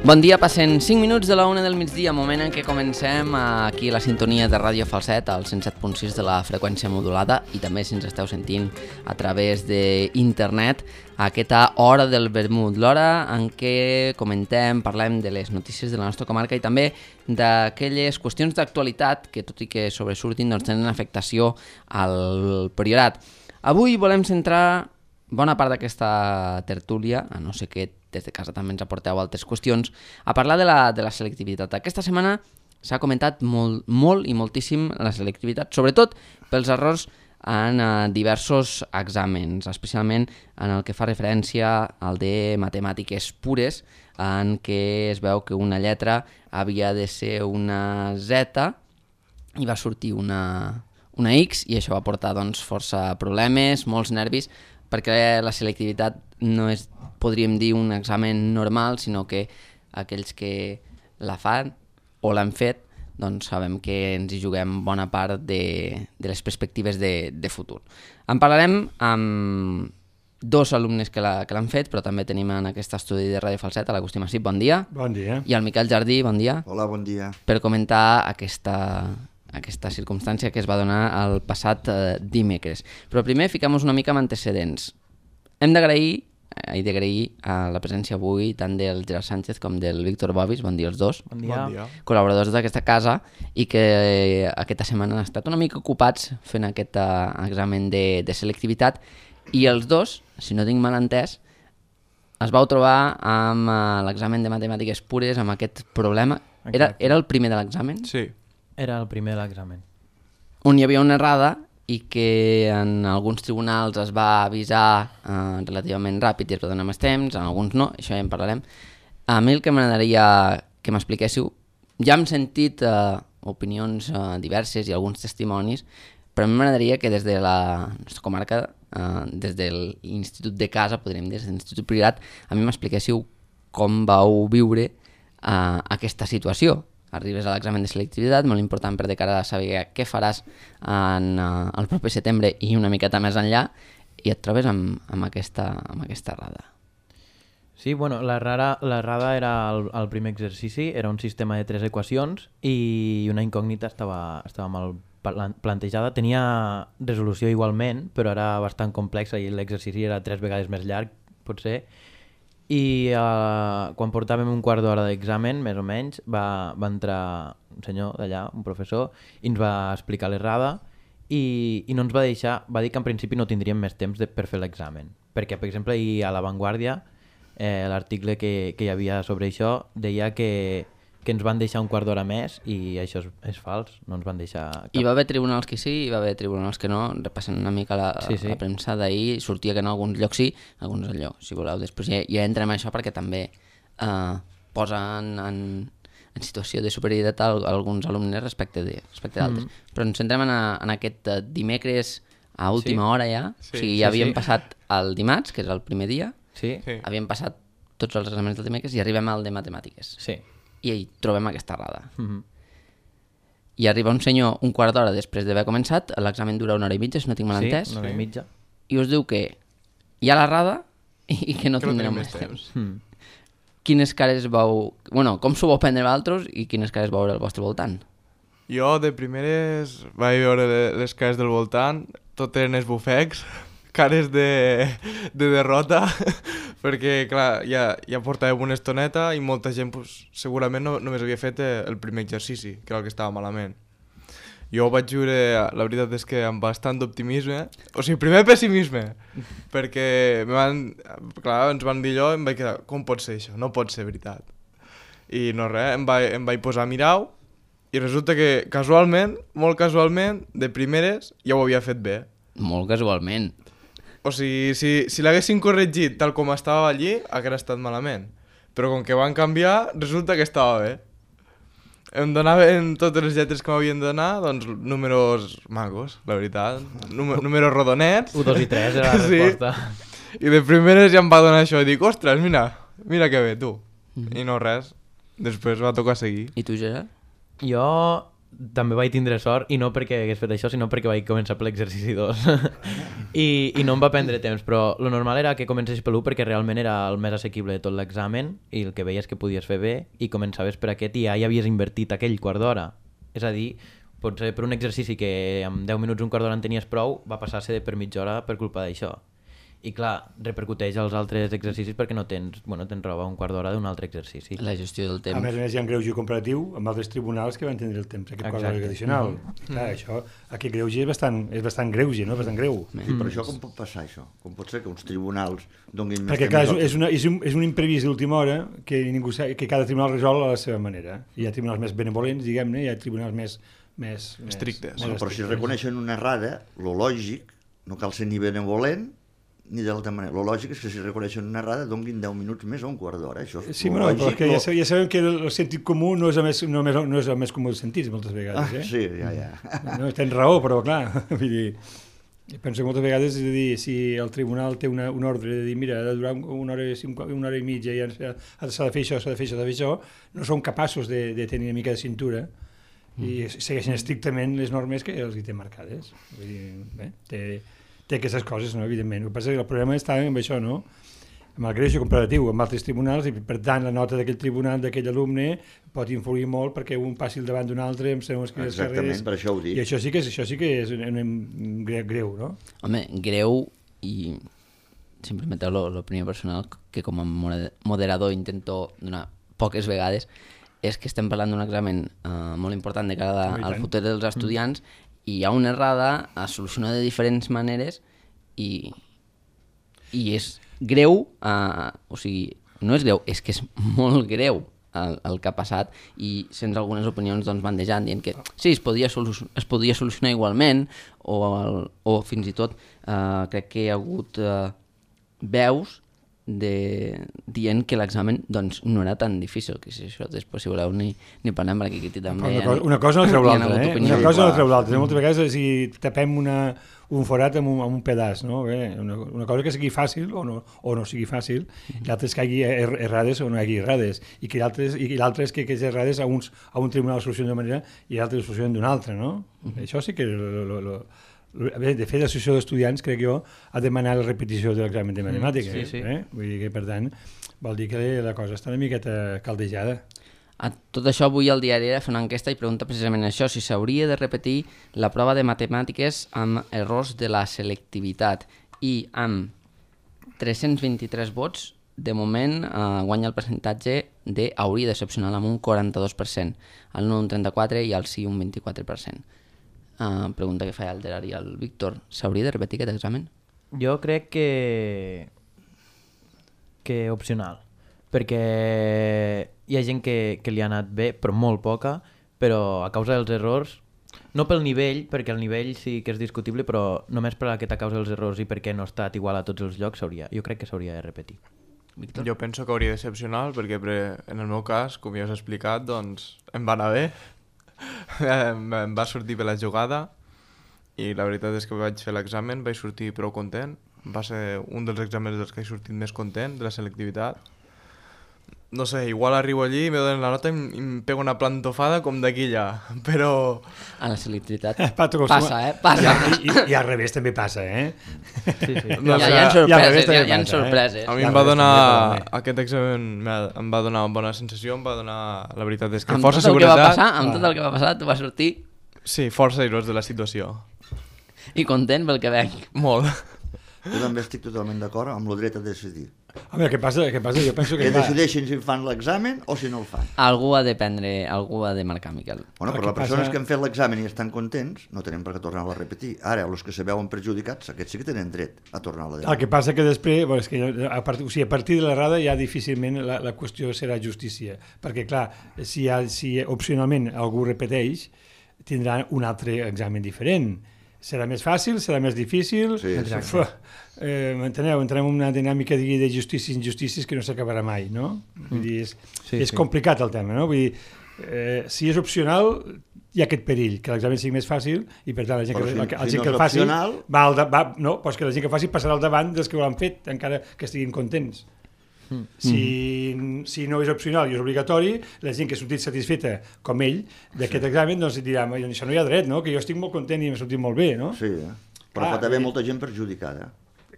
Bon dia, passen 5 minuts de la 1 del migdia, moment en què comencem aquí a la sintonia de Ràdio Falset, al 107.6 de la freqüència modulada, i també si ens esteu sentint a través d'internet, a aquesta hora del vermut, l'hora en què comentem, parlem de les notícies de la nostra comarca i també d'aquelles qüestions d'actualitat que, tot i que sobresurtin, doncs tenen afectació al Priorat. Avui volem centrar bona part d'aquesta tertúlia, a no ser que des de casa també ens aporteu altres qüestions, a parlar de la selectivitat. Aquesta setmana s'ha comentat molt i moltíssim la selectivitat, sobretot pels errors en diversos exàmens, especialment en el que fa referència al de matemàtiques pures, en què es veu que una lletra havia de ser una Z i va sortir una X, i això va portar doncs, força problemes, molts nervis, perquè la selectivitat no és, podríem dir, un examen normal, sinó que aquells que la fan o l'han fet, doncs sabem que ens hi juguem bona part de les perspectives de futur. En parlarem amb dos alumnes que l'han fet, però també tenim en aquest estudi de Ràdio Falset a l'Agustí Massip, bon dia. Bon dia. I al Miquel Jardí, bon dia. Hola, bon dia. Per comentar aquesta circumstància que es va donar el passat dimecres. Però primer fiquem-nos una mica amb antecedents. Hem d'agrair la presència avui tant del Gerard Sánchez com del Víctor Bobis, bon dia els dos, Bon dia. col·laboradors d'aquesta casa, i que aquesta setmana han estat una mica ocupats fent aquest examen de selectivitat, i els dos, si no tinc mal entès, es vau trobar amb l'examen de matemàtiques pures, amb aquest problema. Era el primer de l'examen? Sí. Era el primer de l'examen. On hi havia una errada i que en alguns tribunals es va avisar relativament ràpid i es va donar més temps, en alguns no, això ja en parlarem. A mi el que m'agradaria que m'expliquéssiu, ja hem sentit opinions diverses i alguns testimonis, però a mi m'agradaria que des de la nostra comarca, des de l'Institut de Casa, podríem dir, des de l'Institut Priorat, a mi m'expliquéssiu com vau viure aquesta situació. Arribes a l'examen de selectivitat, molt important per de cara a saber què faràs el proper setembre i una miqueta més enllà, i et trobes amb aquesta errada. Sí, bueno, l'errada era el primer exercici, era un sistema de 3 equacions i una incògnita estava mal plantejada. Tenia resolució igualment, però era bastant complexa i l'exercici era 3 vegades més llarg, potser. I quan portàvem un quart d'hora d'examen, més o menys, va entrar un senyor d'allà, un professor, i ens va explicar l'errada i no ens va deixar, va dir que en principi no tindríem més temps per fer l'examen. Perquè, per exemple, a La Vanguardia, l'article que hi havia sobre això deia que ens van deixar un quart d'hora més, i això és fals, no ens van deixar cap. Hi va haver tribunals que sí, hi va haver tribunals que no. Repassant una mica la premsa d'ahir, sortia que en alguns llocs sí, en alguns allò, si voleu. Després ja entrem en això perquè també posen en situació de superioritat alguns alumnes respecte d'altres. Però ens centrem en aquest dimecres a última hora ja. O sigui, ja havíem passat el dimarts, que és el primer dia, havíem passat tots els exàmens del dimecres i arribem al de matemàtiques. Sí. I hi trobem aquesta errada. I arriba un senyor un quart d'hora després d'haver començat, l'examen dura 1 hora i mitja, si no tinc mal entès. Sí, 1 hora i mitja. I us diu que hi ha l'errada i que no tindrem més temps. Quines cares vau... Bueno, com s'ho vau prendre vosaltres i quines cares vau veure al vostre voltant? Jo de primeres vaig veure les cares del voltant, tot eren esbufecs, cares de derrota, perquè clar, ja portàvem una estoneta i molta gent segurament només havia fet el primer exercici, que era el que estava malament. Jo ho vaig viure, la veritat és que amb bastant d'optimisme, o sigui, primer pessimisme, perquè ens van dir allò i em vaig quedar, com pot ser això? No pot ser veritat. I no res, em vaig posar a mirar-ho i resulta que casualment, molt casualment, de primeres ja ho havia fet bé. Molt casualment. O sigui, si l'haguessin corregit tal com estava allí, hauria estat malament. Però com que van canviar, resulta que estava bé. Em donaven totes les lletres que m'havien de donar, doncs números magos, la veritat. Números rodonets. 1, 2 i 3 era la resposta. I de primeres ja em va donar això i dic, ostres, mira que bé, tu. I no res, després va tocar seguir. I tu, Gerard? Jo també vaig tindre sort, i no perquè hagués fet això, sinó perquè vaig començar per l'exercici 2. I no em va prendre temps, però lo normal era que comencés per l'1 perquè realment era el més assequible de tot l'examen i el que veies que podies fer bé i començaves per aquest i ja hi havies invertit aquell quart d'hora. És a dir, potser per un exercici que en 10 minuts, un quart d'hora en tenies prou, va passar a ser per mitja hora per culpa d'això. I clar, repercuteix als altres exercicis perquè no tens roba un quart d'hora d'un altre exercici. La gestió del temps. A més, hi ha un greuge comparatiu amb altres tribunals que van tindre el temps, aquest quart d'hora addicional. Clar, això, aquest greuge és bastant greuge, no? Bastant greu. Sí, però això com pot passar, això? Com pot ser que uns tribunals donguin més perquè, clar, és un imprevist d'última hora que ningú sap, que cada tribunal resol a la seva manera. Hi ha tribunals més benevolents, diguem-ne, hi ha tribunals més estrictes. Bueno, però si reconeixen una errada, lo lògic, no cal ser ni benevolent, ni de l'altra manera. Lo lògic és que si reconeixen una errada donguin 10 minuts més o un quart d'hora. Això és sí, però que ja sabem que el sentit comú no és el més comú dels sentits, moltes vegades. Sí, ja. No, tens raó, però clar, vull dir, penso que moltes vegades, és a dir, si el tribunal té un ordre de dir, mira, ha de durar una hora i mitja i s'ha de fer això, no són capaços de tenir una mica de cintura i segueixen estrictament les normes que els hi té marcades. Vull dir, bé, té aquestes coses, no, evidentment. El que passa és que el problema està amb això, no? Amb el greuge comparatiu, amb altres tribunals, i per tant la nota d'aquell tribunal, d'aquell alumne, pot influir molt perquè un passi al davant d'un altre amb segons quines carreres. Exactament, per això ho dic. I això sí que és greu, no? Home, greu, i sempre em treu l'opinió personal, que com a moderador intento donar poques vegades, és que estem parlant d'un examen molt important de cara al futur dels estudiants, i hi ha una errada, es soluciona de diferents maneres i és greu, o sigui, no és greu, és que és molt greu el que ha passat i sense algunes opinions doncs bandejant, dient que sí, es podia solucionar igualment o fins i tot crec que hi ha hagut veus dient que l'examen doncs, no era tan difícil, que si això després si voleu ni parlem perquè aquí també una cosa no treu l'altra, una cosa no treu l'altra. Moltes vegades si tapem un forat amb un pedaç, no? Una cosa que sigui fàcil o no sigui fàcil, i l'altra és que hi hagi errades o no hi hagi errades, i l'altre és que aquestes errades a un tribunal solucionen d'una manera i l'altre solucionen d'una altra, no? Això sí que de fet, l'associació d'estudiants, crec jo, ha demanat la repetició de l'examen de matemàtiques. Sí. Vull dir que, per tant, vol dir que la cosa està una miqueta caldejada. A tot això, avui el diari Era fa una enquesta i pregunta precisament això, si s'hauria de repetir la prova de matemàtiques amb errors de la selectivitat. I amb 323 vots, de moment guanya el percentatge de hauria de ser opcional amb un 42%, el no un 34% i el sí un 24%. Pregunta que fa el diari al Víctor, s'hauria de repetir aquest examen? Jo crec que opcional, perquè hi ha gent que li ha anat bé, però molt poca, però a causa dels errors, no pel nivell, perquè el nivell sí que és discutible, però només per aquesta causa dels errors i perquè no ha estat igual a tots els llocs, jo crec que s'hauria de repetir. Víctor? Jo penso que hauria de ser opcional, perquè en el meu cas, com ja us he explicat, doncs em va anar bé. Em va sortir bé la jugada i la veritat és que vaig fer l'examen, vaig sortir prou content, va ser un dels exàmens dels que he sortit més content de la selectivitat. No sé, igual arribo allí, me donen la nota i em pego una plantofada com d'aquí allà, però... A la selectivitat passa, Passa. I al revés també passa, Sí. No, hi ha sorpreses. A mi em va donar... Aquest examen em va donar una bona sensació, em va donar... La veritat és que força seguretat... Amb tot el que va passar, tu vas sortir... Sí, força airós de la situació. I content pel que veig. Molt. Jo també estic totalment d'acord amb el dret a decidir. Home, què passa? Jo penso que... Que decideixin si fan l'examen o si no el fan. Algú ha de marcar, Miquel. Bueno, però les persones que han fet l'examen i estan contents no tenen per què tornar-lo a repetir. Ara, els que se veuen perjudicats, aquests sí que tenen dret a tornar-lo a repetir. El que passa que després, és que a partir de l'errada ja difícilment la qüestió serà justícia, perquè clar, si opcionalment algú repeteix, tindrà un altre examen diferent. Serà més fàcil, serà més difícil... Sí, m'enteneu? Entrem en una dinàmica de justícies i injustícies que no s'acabarà mai, no? Vull dir, és complicat el tema, no? Vull dir, si és opcional, hi ha aquest perill, que l'examen sigui més fàcil i per tant la gent que el faci que la gent que faci passarà al davant dels que ho han fet, encara que estiguin contents. Si no és opcional i és obligatori, la gent que ha sortit satisfeta, com ell, d'aquest examen, doncs dirà, això no hi ha dret, no? Que jo estic molt content i m'ha sortit molt bé, no? Sí, però pot haver molta gent perjudicada.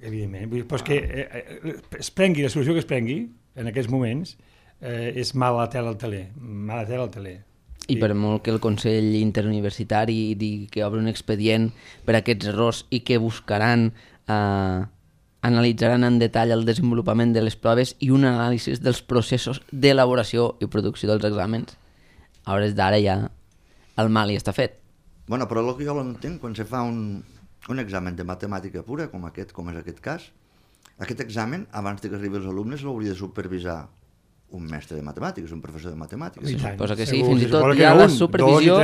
Evidentment, vull dir, però és que es prengui la solució que es prengui, en aquests moments, és mala tela al teler, mala tela al teler. I per molt que el Consell Interuniversitari digui que obre un expedient per aquests errors i que buscaran, analitzaran en detall el desenvolupament de les proves i un anàlisi dels processos d'elaboració i producció dels exàmens, a hores d'ara ja el mal hi està fet. Bueno, però el que jo l'entenc, quan se fa un examen de matemàtica pura, com és aquest cas, aquest examen, abans que arribi els alumnes, l'hauria de supervisar un mestre de matemàtiques, un professor de matemàtiques. Sí, suposa que sí, fins i tot hi ha la supervisió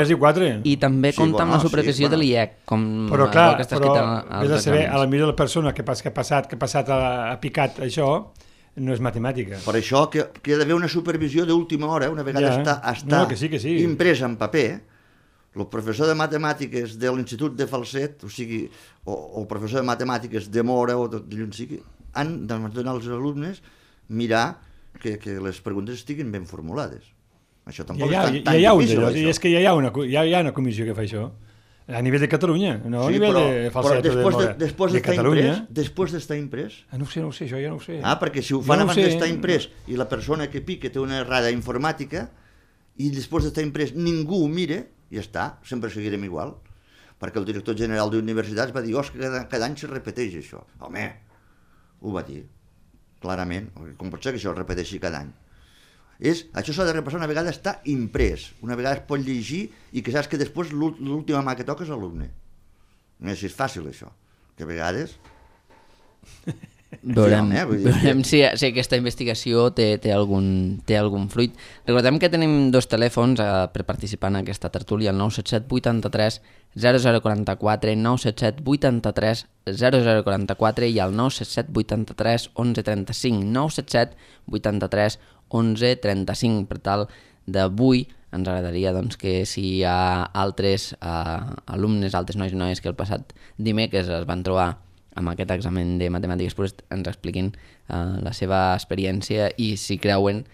i també compta amb la supervisió de l'IEC, com però clar, que està escrit als saber, exàmens. a la millor la persona que ha passat ha picat això, no és matemàtica. Per això que ha d'haver una supervisió d'última hora, una vegada està impresa en paper, el professor de matemàtiques de l'Institut de Falset, o sigui, o el professor de matemàtiques de Mora, o d'on sigui, han de donar als alumnes mirar que les preguntes estiguin ben formulades. Això tampoc és tan difícil. És que ja hi ha una comissió que fa això, a nivell de Catalunya, no a nivell de Falset o de Mora, de Catalunya. Després d'estar imprès? No ho sé, això ja no ho sé. Perquè si ho fan abans d'estar imprès i la persona que pica té una errada informàtica i després d'estar imprès ningú ho mira, ja està, sempre seguirem igual. Perquè el director general d'universitats va dir cada any se repeteix això. Home, ho va dir, clarament. Com pot ser que això es repeteixi cada any? Això s'ha de repassar una vegada està imprès, una vegada es pot llegir i que saps que després l'última mà que toca és l'alumne. No és fàcil això, que a vegades... Veurem si aquesta investigació té algun fruit. Recordem que tenim dos telèfons per participar en aquesta tertúlia, el 977 83 0044, 977 83 0044 i el 977 83 1135, 977 83 1135. Per tal d'avui ens agradaria que si hi ha altres alumnes, altres nois i noies que el passat dimecres es van trobar amb aquest examen de matemàtiques pures, ens expliquin la seva experiència i si creuen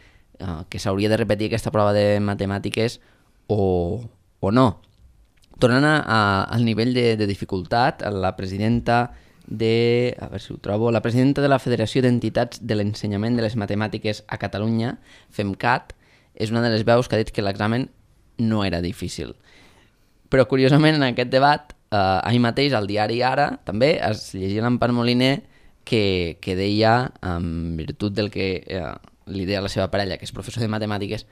que s'hauria de repetir aquesta prova de matemàtiques o no. Tornant al nivell de dificultat, la presidenta de la Federació d'Entitats de l'Ensenyament de les Matemàtiques a Catalunya, FEMCAT, és una de les veus que ha dit que l'examen no era difícil. Però curiosament en aquest debat ahir mateix al diari Ara també es llegia l'Empar Moliner que deia, en virtut del que li deia la seva parella, que és professor de matemàtiques,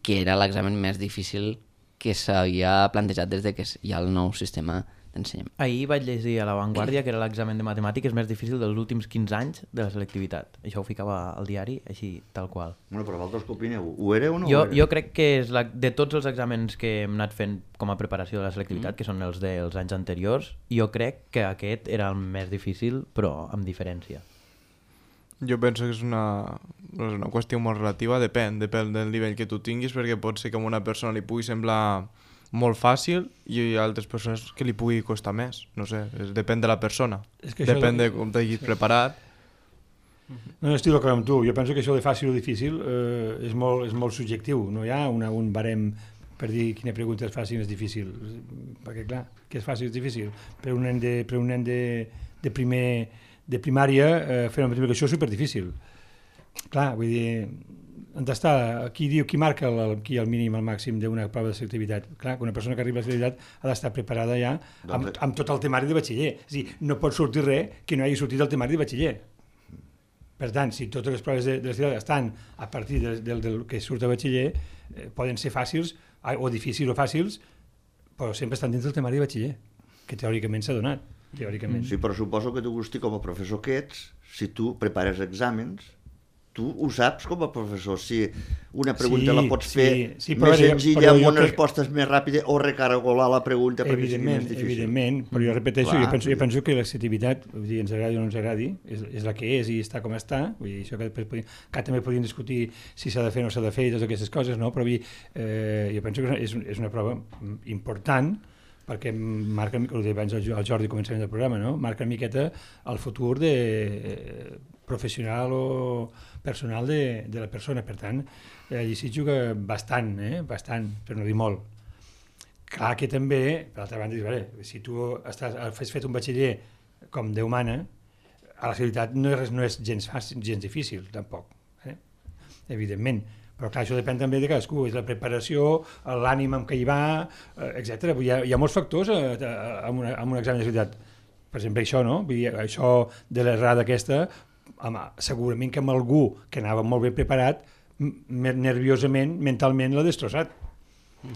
que era l'examen més difícil que s'havia plantejat des de que hi ha el nou sistema d'ensenyament. Ahir vaig llegir a La Vanguardia que era l'examen de matemàtiques més difícil dels últims 15 anys de la selectivitat. Això ho ficava al diari, així, tal qual. Bueno, però vosaltres què opineu? Ho era o no ho era? Jo crec que és de tots els exàmens que hem anat fent com a preparació de la selectivitat, que són els dels anys anteriors, jo crec que aquest era el més difícil, però amb diferència. Jo penso que és una qüestió molt relativa, depèn del nivell que tu tinguis, perquè pot ser que a una persona li pugui semblar molt fàcil i hi ha altres persones que li pugui costar més, no sé, depèn de la persona, depèn de com t'hagis preparat. No, estic d'acord amb tu, jo penso que això de fàcil o difícil és molt subjectiu, no hi ha un barem per dir quina pregunta és fàcil i és difícil, perquè clar, què és fàcil i és difícil? Per un nen de primària fer una multiplicació és superdifícil. Clar, vull dir, on està? Qui marca el mínim, el màxim d'una prova de selectivitat? Clar, una persona que arriba a la selectivitat ha d'estar preparada ja amb tot el temari de batxiller. És a dir, no pot sortir res que no hagi sortit del temari de batxiller. Per tant, si totes les proves de la selectivitat estan a partir del que surt a batxiller, poden ser fàcils o difícils o fàcils, però sempre estan dins del temari de batxiller, que teòricament s'ha donat. Sí, però suposo que tu, Agustí, com a professor que ets, si tu prepares exàmens, tu ho saps com a professor, si una pregunta la pots fer més senzilla, amb unes respostes més ràpides, o recaragolar la pregunta perquè sigui més difícil. Evidentment, però jo repeteixo, jo penso que la selectivitat, ens agradi o no ens agradi, és la que és i està com està, vull dir, això que també podríem discutir si s'ha de fer o no s'ha de fer i totes aquestes coses, no? Però jo penso que és una prova important, perquè marca, ho deia abans el Jordi començament del programa, no? Marca una miqueta el futur de professional o personal de la persona. Per tant, desitjo que bastant, per no dir molt. Clar que també, per l'altra banda, si tu has fet un batxiller com Déu mana, a la ciutat no és gens fàcil, gens difícil, tampoc, evidentment. Però clar, això depèn també de cadascú, és la preparació, l'ànima amb què hi va, etc. Hi ha molts factors en un examen de ciutat. Per exemple, això, no? Vull dir, això de l'errada aquesta, home, segurament que amb algú que anava molt ben preparat, nerviosament, mentalment l'ha destrossat.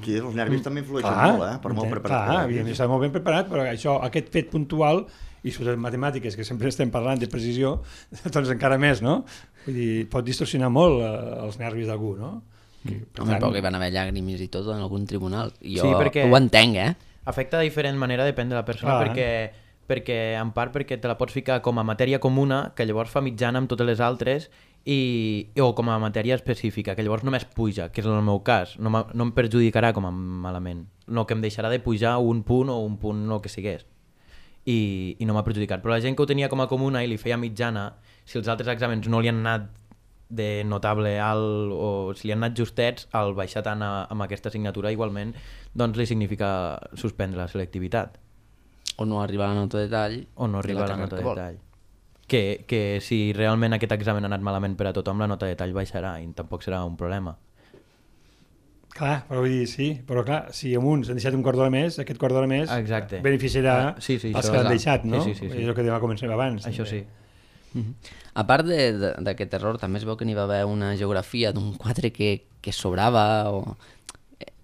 Sí, els nervis també influeixen molt, per molt preparat. Clar, evidentment està molt ben preparat, però això, aquest fet puntual, i sobretot matemàtiques, que sempre estem parlant de precisió, doncs encara més, no? Vull dir, pot distorsionar molt els nervis d'algú, no? Home, però que hi van haver llàgrimes i tot en algun tribunal. Jo Sí, perquè ho entenc, afecta de diferent manera, depèn de la persona, perquè en part perquè te la pots ficar com a matèria comuna, que llavors fa mitjana amb totes les altres, o com a matèria específica, que llavors només puja, que és el meu cas, no em perjudicarà com a malament, no que em deixarà de pujar un punt o un punt el que sigués, i no m'ha perjudicat. Però la gent que ho tenia com a comuna i li feia mitjana, si els altres exàmens no li han anat de notable alt o si li han anat justets, al baixar tant amb aquesta assignatura igualment, doncs li significa suspendre la selectivitat. O no arribar a la nota de tall. O no arribar a la nota de tall. Que si realment aquest examen ha anat malament per a tothom, la nota de tall baixarà i tampoc serà un problema. Clar, però vull dir, sí, però clar, si amb uns han deixat un quart d'hora més, aquest quart d'hora més beneficiarà els que l'han deixat, no? Sí. És el que començar abans. Això sí. A part d'aquest error, també es veu que n'hi va haver una geografia d'un 4 que sobrava.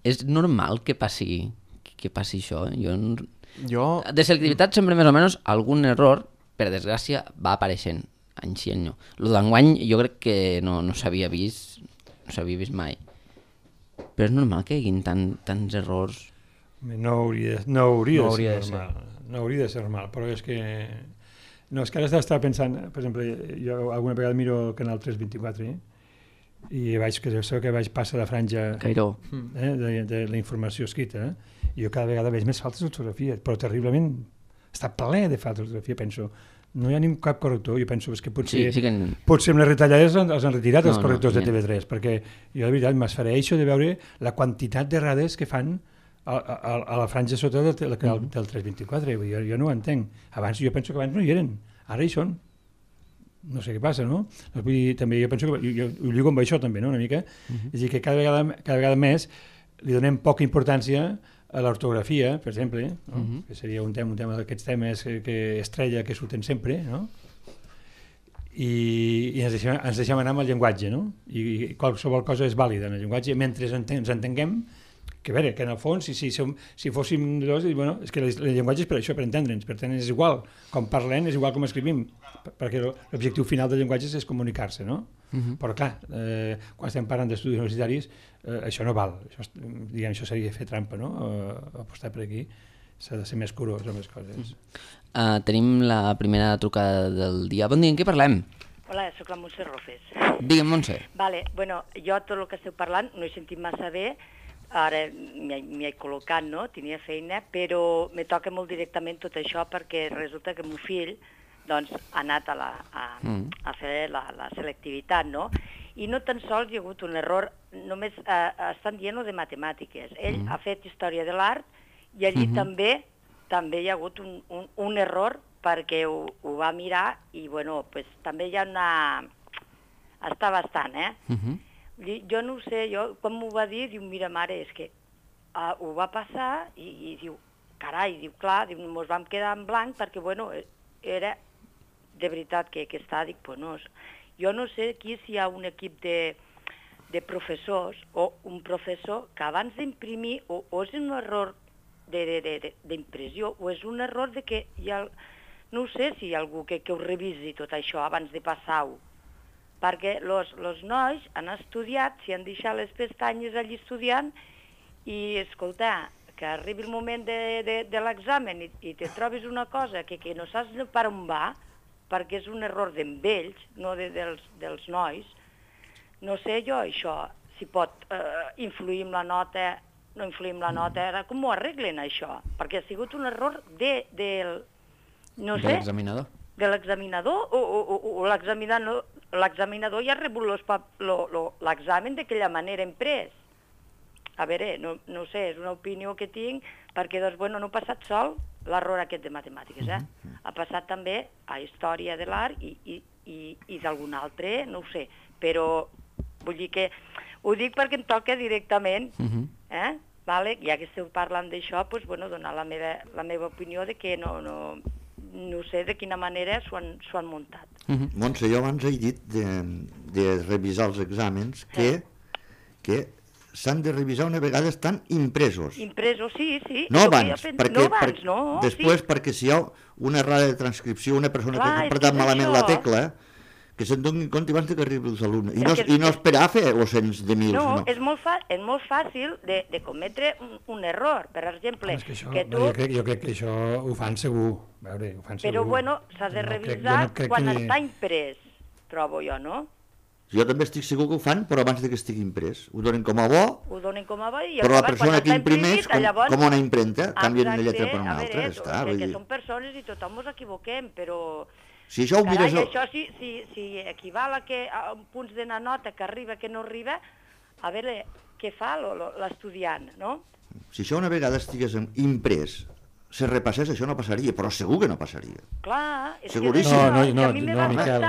És normal que passi això? Jo, de selectivitat sempre més o menys algun error, per desgràcia, va apareixent any sí, any no. El d'enguany jo crec que no s'havia vist mai. Però és normal que hi hagin tants errors. No hauria de ser normal. No hauria de ser normal, però és que... No, és que ara estava pensant, per exemple, jo alguna vegada miro el canal 324 i vaig passar la franja Cairó. De la informació escrita, i jo cada vegada veig més faltes d'ortografia, però terriblement està ple de faltes d'ortografia, penso. No hi ha ni cap corrector, jo penso que potser amb les retallades els han retirat els correctors de TV3, perquè jo de veritat m'esfereixo de veure la quantitat d'errades que fan a la franja sota del 324, jo no ho entenc. Jo penso que abans no hi eren, ara hi són. No sé què passa, no? Vull dir, també jo penso que ho lligo amb això també, no? Una mica. És a dir, que cada vegada més li donem poca importància a l'ortografia, per exemple, que seria un tema d'aquests temes que estrella, que surten sempre, no? I ens deixem anar amb el llenguatge, no? I qualsevol cosa és vàlida en el llenguatge, mentre ens entenguem, que a veure, que en el fons, si fóssim dos, bueno, és que el llenguatge és per això, per entendre'ns, per tant és igual, com parlem és igual com escrivim, perquè l'objectiu final del llenguatge és comunicar-se, no? Però clar, quan estem parlant d'estudis universitaris, això no val, això seria fer trampa, no? Apostar per aquí, s'ha de ser més curós amb les coses. Tenim la primera trucada del dia. Bon dia, en què parlem? Hola, soc la Montse Rofes. Digue'm, Montse. Vale, bueno, jo tot el que esteu parlant no he sentit massa bé, ara m'hi he col·locat, no? Tenia feina, però me toca molt directament tot això perquè resulta que el meu fill doncs, ha anat a fer la selectivitat, no? I no tan sols hi ha hagut un error, només estan dient de matemàtiques. Ell ha fet història de l'art i allí també hi ha hagut un error perquè ho va mirar i, bueno, pues, també hi ha està bastant, Jo no ho sé, quan m'ho va dir, diu, mira, mare, és que ho va passar i diu, carai, diu, clar, mos vam quedar en blanc perquè, bueno, era de veritat que està, dic, pues no, jo no sé aquí si hi ha un equip de professors o un professor que abans d'imprimir o és un error d'impressió o és un error de que hi ha, no sé si hi ha algú que ho revisi tot això abans de passar-ho, perquè els nois han estudiat, s'hi han deixat les pestanyes allí estudiant i, escolta, que arribi el moment de l'examen i te trobis una cosa que no saps per on va, perquè és un error d'ells, no dels nois. No sé jo això, si pot influir en la nota, no influir en la nota, com ho arreglen això? Perquè ha sigut un error no sé, l'examinador. De l'examinador o l'examinador l'examinador ja ha rebut l'examen d'aquella manera imprès. A veure, no sé, és una opinió que tinc, perquè doncs, bueno, no ha passat sol l'error aquest de matemàtiques, ha passat també a història de l'art i d'algun altre, no ho sé, però vull dir que ho dic perquè em toca directament, vale? Ja que esteu parlant d'això, doncs, bueno, donar la meva opinió de que no sé de quina manera s'ho han muntat. Montse, jo abans he dit de revisar els exàmens que s'han de revisar una vegada estan impresos. Impresos, sí. No abans, després perquè si hi ha una errada de transcripció, una persona que ha apretat malament la tecla, que se'n donin compte abans que arribi els alumnes. I no esperar a fer cents de mils. No, és molt fàcil de cometre un error. Per exemple, que tu... Jo crec que això ho fan segur. Però bueno, s'ha de revisar quan està imprès, trobo jo, no? Jo també estic segur que ho fan, però abans que estigui imprès. Ho donen com a bo, però la persona que imprimeix, com una impremta, canvien una lletra per una altra. Que són persones i tothom ens equivoquem, però... Si això ho mires... Això si equival a punts de la nota que arriba, que no arriba, a veure què fa l'estudiant, no? Si això una vegada estigués imprès, se repassés, això no passaria, però segur que no passaria. Clar, és seguríssim. No, Miquel,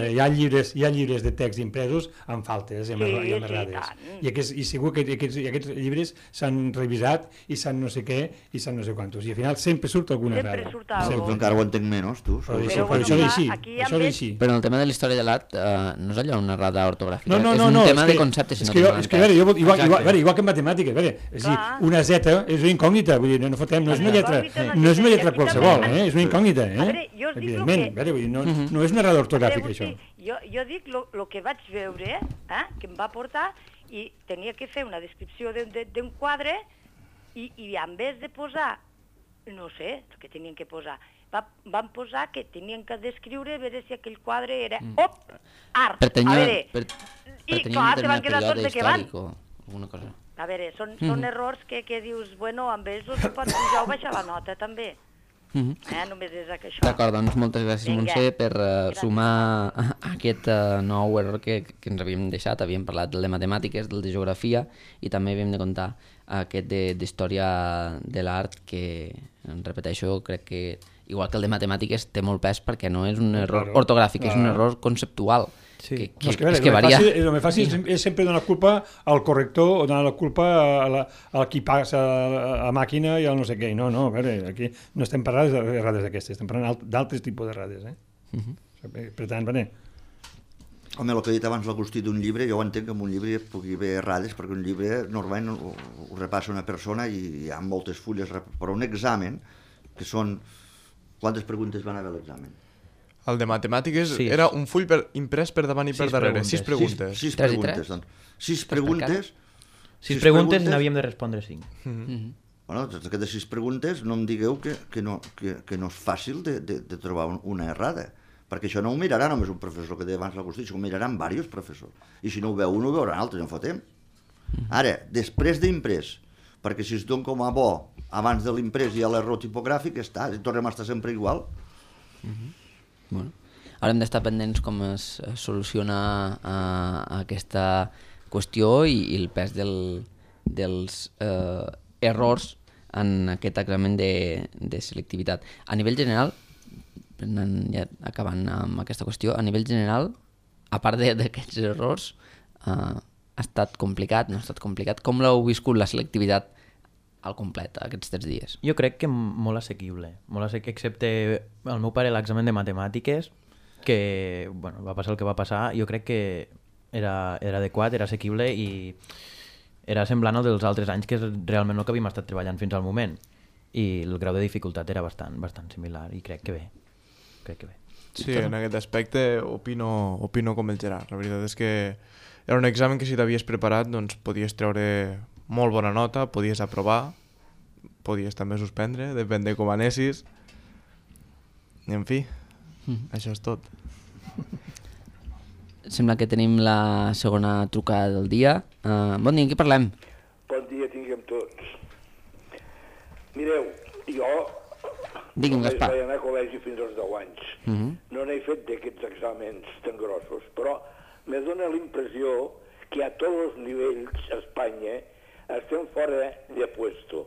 hi ha llibres de text impresos amb faltes i amb errades. I segur que aquests llibres s'han revisat i s'han no sé què i s'han no sé quantos. I al final sempre surt alguna errada. Sempre encara ho entenc menys, tu. Però això és així. Però en el tema de la història de l'art no és allò una errada ortogràfica. No, és un tema de conceptes. És que, igual que en matemàtiques, és a dir, una Z és una incògnita, vull dir, no fotem, no és una lletra qualsevol, és una incògnita, evidentment, no és una errada ortogràfica, això. Jo dic el que vaig veure, que em va portar, i tenia que fer una descripció d'un quadre, i en vez de posar, no sé, el que tenien que posar, van posar que tenien que descriure, a veure si aquell quadre era, art, a veure, i clar, se van quedar tots de què van. Alguna cosa. A veure, són errors que dius, bueno, amb ells els pots pujar o baixar la nota, també. Només és això. D'acord, doncs moltes gràcies, Montse, per sumar aquest nou error que ens havíem deixat. Havíem parlat del de matemàtiques, del de geografia, i també havíem de contar aquest d'història de l'art, que, repeteixo, crec que, igual que el de matemàtiques, té molt pes perquè no és un error ortogràfic, és un error conceptual. El més fàcil és sempre donar culpa al corrector o donar la culpa a qui passa a la màquina i al no sé què. No, a veure, aquí no estem parlant d'errades d'aquestes, estem parlant d'altres tipus d'errades. Per tant, Home, el que ha dit abans l'Agustí d'un llibre, jo ho entenc que en un llibre hi pugui haver errades, perquè un llibre normalment ho repassa una persona i hi ha moltes fulles, però un examen, que són... Quantes preguntes van haver a l'examen? El de matemàtiques era un full imprès per davant i per darrere. 6 preguntes. 6 preguntes, doncs. 6 preguntes... 6 preguntes i n'havíem de respondre 5. Bueno, d'aquestes 6 preguntes no em digueu que no és fàcil de trobar una errada, perquè això no ho mirarà només un professor, que deia abans l'Agustí, això ho miraran diversos professors. I si no ho veu un, ho veuran altres, en fotem. Ara, després d'imprès, perquè si es dona com a bo abans de l'imprès hi ha l'error tipogràfic, tornem a estar sempre igual. Bueno, ara hem d'estar pendents com es soluciona aquesta qüestió i el pes dels errors en aquest examen de selectivitat. A nivell general, ja acabant amb aquesta qüestió, a nivell general, a part d'aquests errors, ha estat complicat, no ha estat complicat? Com l'heu viscut la selectivitat al complet aquests 3 dies? Jo crec que molt assequible, excepte el meu pare l'examen de matemàtiques, que va passar el que va passar. Jo crec que era adequat, era assequible i era semblant al dels altres anys, que és realment el que havíem estat treballant fins al moment, i el grau de dificultat era bastant similar, i crec que bé. Sí, en aquest aspecte opino com el Gerard. La veritat és que era un examen que si t'havies preparat doncs podies treure molt bona nota, podies aprovar, podies també suspendre, depèn de com anessis. I en fi, això és tot. Sembla que tenim la segona trucada del dia. Bon dia, en qui parlem? Bon dia tinguem tots. Mireu, jo Digui'm, Gaspar. Vaig anar a col·legi fins als 10 anys. No n'he fet d'aquests exàmens tan grossos, però me dona la impressió que a tots els nivells a Espanya estem fora de puesto.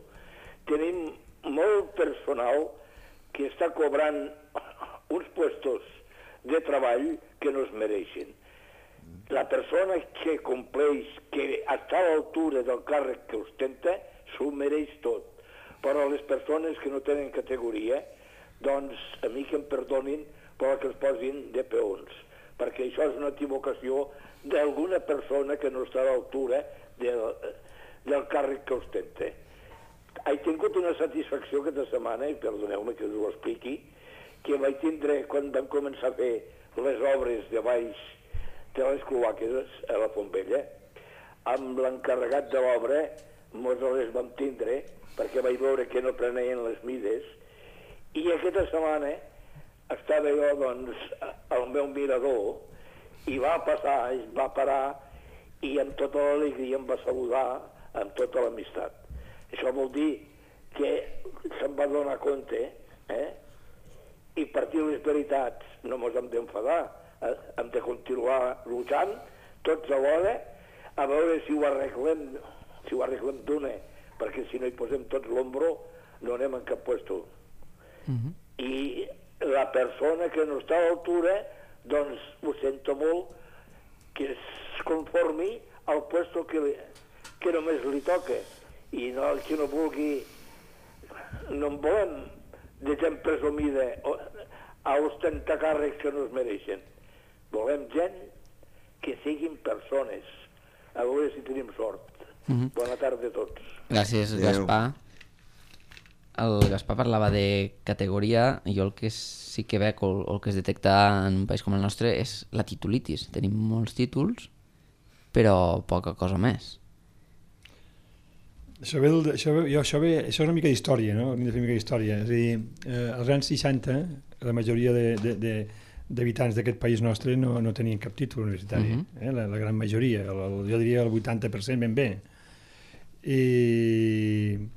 Tenim molt personal que està cobrant uns puestos de treball que no es mereixen. La persona que compleix, que està a l'altura del càrrec que ostenta, s'ho mereix tot. Però les persones que no tenen categoria, doncs a mi que em perdonin, però que es posin de peons, perquè això és una equivocació d'alguna persona que no està a l'altura del càrrec que ostenta. He tingut una satisfacció aquesta setmana, i perdoneu-me que us ho expliqui, que vaig tindre quan vam començar a fer les obres de baix de les cloaques a la Fontbella, amb l'encarregat de l'obra mos les vam tindre perquè vaig veure que no prenien les mides, i aquesta setmana estava jo doncs al meu mirador i va passar, va parar i amb tota l'alegria em va saludar amb tota l'amistat. Això vol dir que se'n va donar compte, i per dir les veritats no mos hem d'enfadar, hem de continuar lluitant tots alhora a veure si ho arreglem d'una, perquè si no hi posem tots l'ombro no anem en cap puesto. I la persona que no està a l'altura, doncs ho sento molt, que es conformi al puesto que només li toca, i no el que no vulgui. No en volem de gent presumida a ostentar càrrecs que no es mereixen. Volem gent que siguin persones, a veure si tenim sort. Bona tarda a tots. Gràcies, Gaspar. El Gaspar parlava de categoria, i jo el que sí que veig, o el que es detecta en un país com el nostre, és la titulitis. Tenim molts títols, però poca cosa més. Això és una mica d'història, no? Hem de fer una mica d'història. És a dir, als anys 60, la majoria d'habitants d'aquest país nostre no tenien cap títol universitari. La gran majoria, jo diria el 80% ben bé. I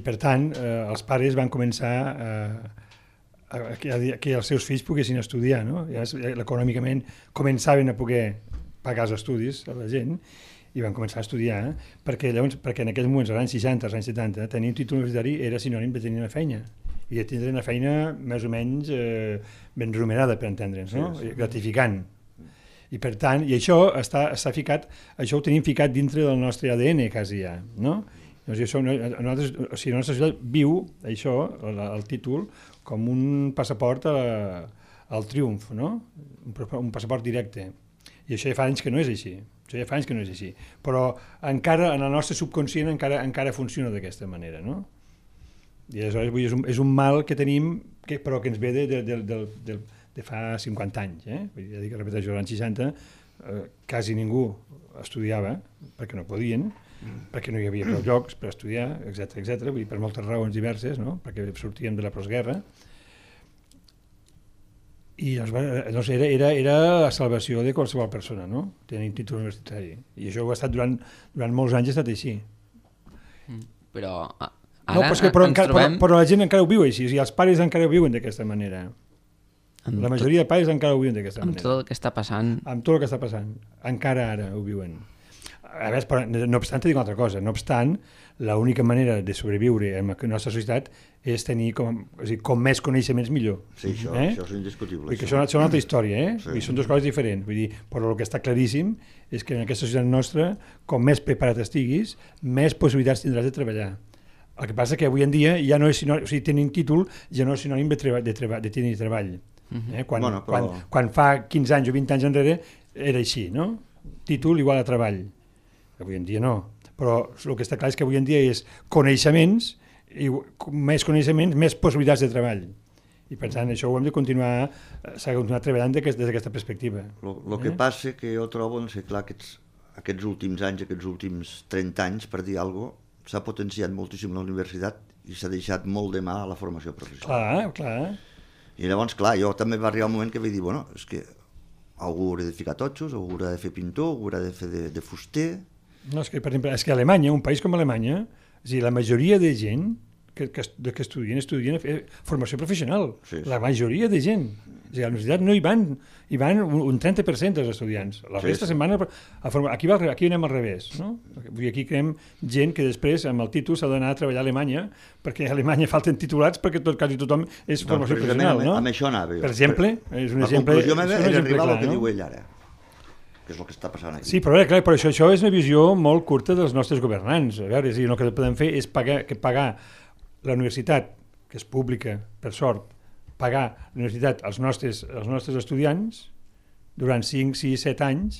per tant, els pares van començar que els seus fills poguessin estudiar, no? Econòmicament començaven a poder pagar els estudis a la gent, i van començar a estudiar, perquè en aquells moments, als anys 60, als anys 70, tenir un títol universitari era sinònim de tenir una feina, i de tindre una feina més o menys ben remunerada, per entendre'ns, no? Gratificant. I per tant, i això està ficat, això ho tenim ficat dintre del nostre ADN quasi ja, no? La nostra societat viu això, el títol, com un passaport al triomf, no? Un passaport directe. I això ja fa anys que no és així. Però encara, en el nostre subconscient, encara funciona d'aquesta manera, no? I aleshores és un mal que tenim, però que ens ve de fa 50 anys. Vull dir, ja dic que repeteixo, als anys 60 quasi ningú estudiava, perquè no podien, perquè no hi havia prou llocs per estudiar, etc. Vull dir, per moltes raons diverses, no? Perquè sortíem de la postguerra. I doncs era la salvació de qualsevol persona, no? Tenir un títol universitari. I això ho ha estat durant molts anys, ha estat així. Però ara però la gent encara ho viu així, els pares encara ho viuen d'aquesta manera. La majoria de pares encara ho viuen d'aquesta manera. Amb tot el que està passant. Amb tot el que està passant. Encara ara ho viuen. A veure, però, no obstant, dic una altra cosa. No obstant, l'única manera de sobreviure en la nostra societat és tenir com més coneixements millor. Sí, això és indiscutible. Perquè això és una altra història, Sí. Són dues coses diferents. Vull dir, però el que està claríssim és que en aquesta societat nostra, com més preparat estiguis, més possibilitats tindràs de treballar. El que passa és que avui en dia ja no és sinònim, o sigui, tenir un títol ja no és sinònim de tenir treball. Quan fa 15 anys o 20 anys enrere era així, no? Títol igual a treball. Avui en dia no. Però el que està clar és que avui en dia és coneixements, i més coneixements, més possibilitats de treball. I per tant això ho hem de continuar, s'ha de continuar treballant des d'aquesta perspectiva. El que passa que jo trobo, no sé, clar, aquests últims anys, aquests últims 30 anys, per dir alguna cosa, s'ha potenciat moltíssim la universitat i s'ha deixat molt de mà a la formació professional. Clar. I llavors, clar, jo també va arribar un moment que vaig dir, bueno, és que algú haurà de ficar totxos, algú haurà de fer pintor, algú haurà de fer de fuster. No, és que, per exemple, a Alemanya, un país com Alemanya, és a dir, la majoria de gent que estudien formació professional. Sí. La majoria de gent. O sigui, a la universitat no hi van un 30% dels estudiants. La resta se'n van a formar. Aquí anem al revés. No? Aquí creem gent que després, amb el títol, s'ha d'anar a treballar a Alemanya, perquè a Alemanya falten titulats perquè quasi tothom és formació professional. No? Amb això anava jo. Per exemple, és un exemple. La conclusió meva és arribar al que no? diu ell ara, que és el que està passant aquí. Sí, però clar, això és una visió molt curta dels nostres governants. A veure, el que podem fer és pagar la universitat, que és pública, per sort, pagar la universitat als nostres estudiants durant 5, 6, 7 anys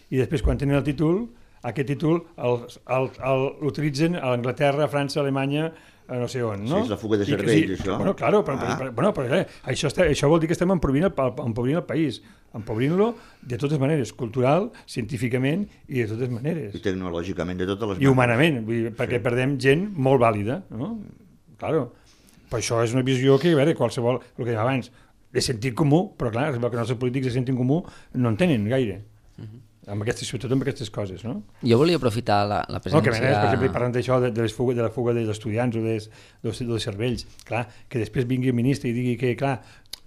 i després quan tenen el títol, aquest títol l'utilitzen a Anglaterra, a França, a Alemanya, a no sé on, no? Sí, és la fuga de cervells, això. Bueno, claro, però això vol dir que estem empobrint el país, empobrint-lo de totes maneres, cultural, científicament i de totes maneres. I tecnològicament, de totes les maneres. I humanament, perquè perdem gent molt vàlida, no? Claro. Però això és una visió que, a veure, qualsevol, el que dèiem abans, de sentit comú, però clar, que els nostres polítics de sentit comú no en tenen gaire. Sobretot amb aquestes coses, no? Jo volia aprofitar la presència... Que per exemple, parlant d'això, de la fuga dels estudiants o dels cervells, clar, que després vingui el ministre i digui que, clar,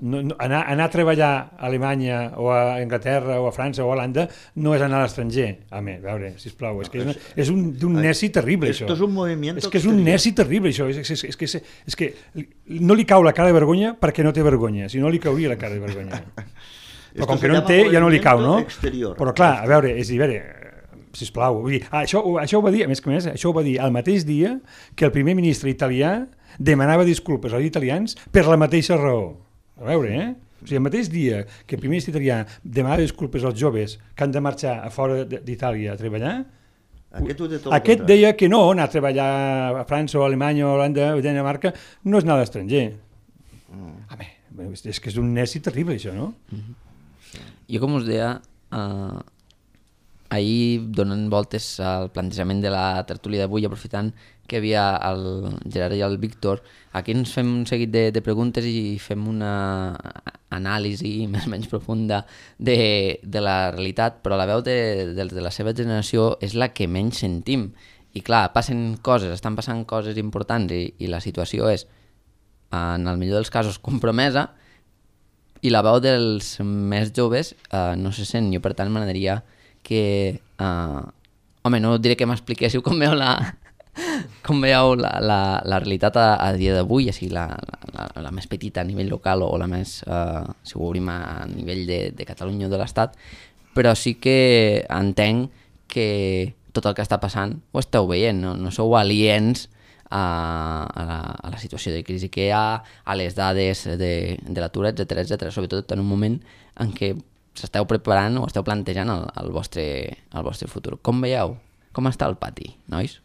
anar a treballar a Alemanya o a Anglaterra o a França o a Holanda no és anar a l'estranger. A veure, sisplau, és d'un neci terrible, això. Esto es un movimiento... És que és un neci terrible, això. És que no li cau la cara de vergonya perquè no té vergonya, si no li cauria la cara de vergonya. Però com que no en té, ja no li cau, no? Però clar, a veure, sisplau, vull dir, això ho va dir, a més que més, això ho va dir el mateix dia que el primer ministre italià demanava disculpes als italians per la mateixa raó. A veure, O sigui, el mateix dia que el primer ministre italià demanava disculpes als joves que han de marxar a fora d'Itàlia a treballar, aquest deia que no, anar a treballar a França o a Alemanya o a Holanda o a Dinamarca no és anar a l'estranger. És que és un neci terrible, això, no? Jo, com us deia, ahir, donant voltes al plantejament de la tertúlia d'avui, aprofitant que hi havia el Gerard i el Víctor, aquí ens fem un seguit de preguntes i fem una anàlisi més o menys profunda de la realitat, però la veu de la seva generació és la que menys sentim. I clar, estan passant coses importants i la situació és, en el millor dels casos, compromesa, i la veu dels més joves no se sent. Jo, per tant, m'agradaria que... home, no diré que m'expliquéssiu com veieu la realitat a dia d'avui, ja sigui la més petita a nivell local o la més, si ho obrim a nivell de Catalunya o de l'Estat, però sí que entenc que tot el que està passant ho esteu veient, no sou aliens a la situació de crisi que hi ha, a les dades de l'atur, etc., sobretot en un moment en què s'esteu preparant o esteu plantejant el vostre futur. Com veieu? Com està el pati, nois?